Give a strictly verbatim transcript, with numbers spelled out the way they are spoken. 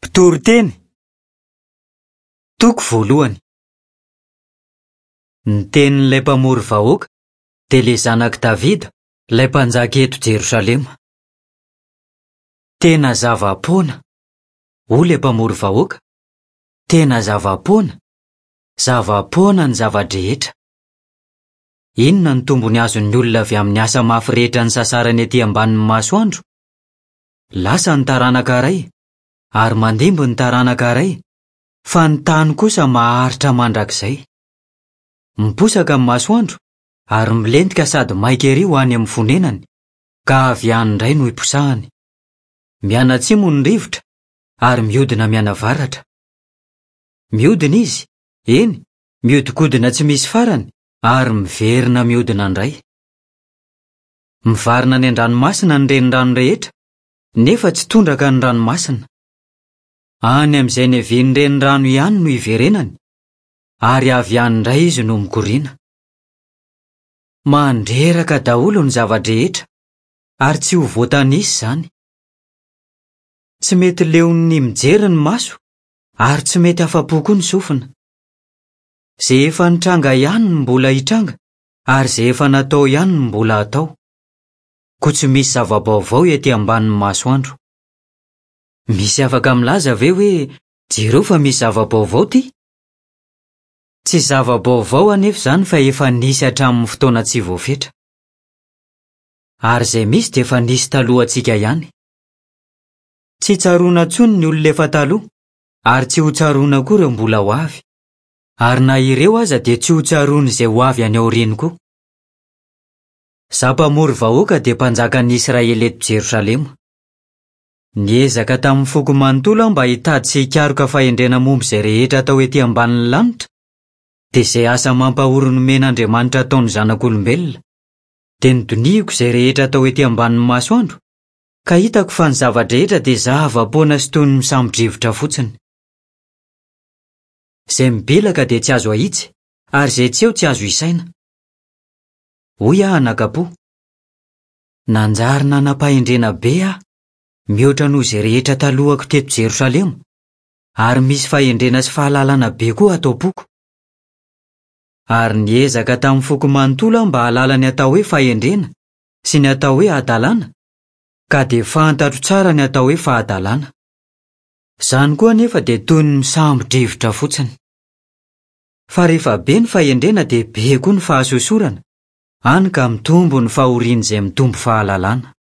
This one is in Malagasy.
Mpitoriteny. Toko voalohany. Ny tenin'ilay mpamory vahoaka dia ilay zanak'i Davida, ilay mpanjaka eto Jerosalema. Tena zava-poana, hoy ilay mpamory vahoaka. Tena zava-poana, zava-poana ny zava-drehetra. Inona ny tombony azon'ny olona avy amin'ny asa mafy rehetra nisasarany ety ambanin'ny masoandro? Lasa ny taranaka iray, ary mandimby ny taranaka iray, fa ny tany kosa maharitra mandrakizay. Miposaka ny masoandro ary milentika sady maika ery ho any amin'ny fonenany, ka avy any indray no hiposahany. Mianatsimo ny rivotra ary mihodina mianavaratra. Mihodina izy, eny, mihodinkodina tsy misy farany ary miverina mihodina indray. Mivarina any an-dranomasina ny renirano rehetra, nefa tsy tondraka ny ranomasina. Any amin'izay niavian'ny renirano ihany no iverenany, ary avy any indray izy no mikoriana. Mandreraka daholo ny zava-drehetra, ary tsy ho voatanisa izany. Tsy mety leon'ny mijery ny maso, ary tsy mety afa-po koa ny sofina. Izay efa nitranga ihany no mbola hitranga, ary izay efa natao ihany no mbola hatao. Koa tsy misy zava-baovao ety ambanin'ny masoandro. Misy afaka milaza ve hoe jereo fa misy zava-baovao ity? Tsy zava-baovao anefa izany fa efa nisy hatramin'ny fotoana tsy voafetra. Ary izay misy dia efa nisy talohantsika ihany. Tsy tsaroana intsony ny olona efa taloha, ary tsy ho tsaroana koa ireo mbola ho avy. Ary na ireo aza dia tsy ho tsaroana izay ho avy any aoriany koa. Izaho mpamory vahoaka dia mpanjakan'ny Israely eto Jerosalema. Niezaka tamin'ny foko manontolo aho mba hitady sy hikaroka fahendrena momba izay rehetra atao ety ambanin'ny lanitra, dia izay asa mampahory nomen'Andriamanitra ataon'ny zanak'olombelona. Dia nodinihiko izay rehetra atao ety ambanin'ny masoandro, ka hitako fa ny zava-drehetra dia zava-poana sy toy ny misambo-drivotra fotsiny. Izay mibilaka dia tsy azo ahitsy, ary izay tsy eo tsy azo isaina. Hoy aho anakapo. Nanjary nanam-pahendrena be aho, mihoatra noho izay rehetra talohako teto Jerosalema, ary misy fahendrena sy fahalalana be koa ato am-poko. Ary niezaka tamin'ny foko manontolo aho mba hahalala ny atao hoe fahendrena sy ny atao hoe hadalana, ka dia fantatro tsara ny atao hoe fahadalana. Izany koa anefa dia toy ny misambo-drivotra fotsiny. Fa rehefa be ny fahendrena dia be koa ny fahasosorana, hany ka mitombo ny fahorian'izay mitombo fahalalana.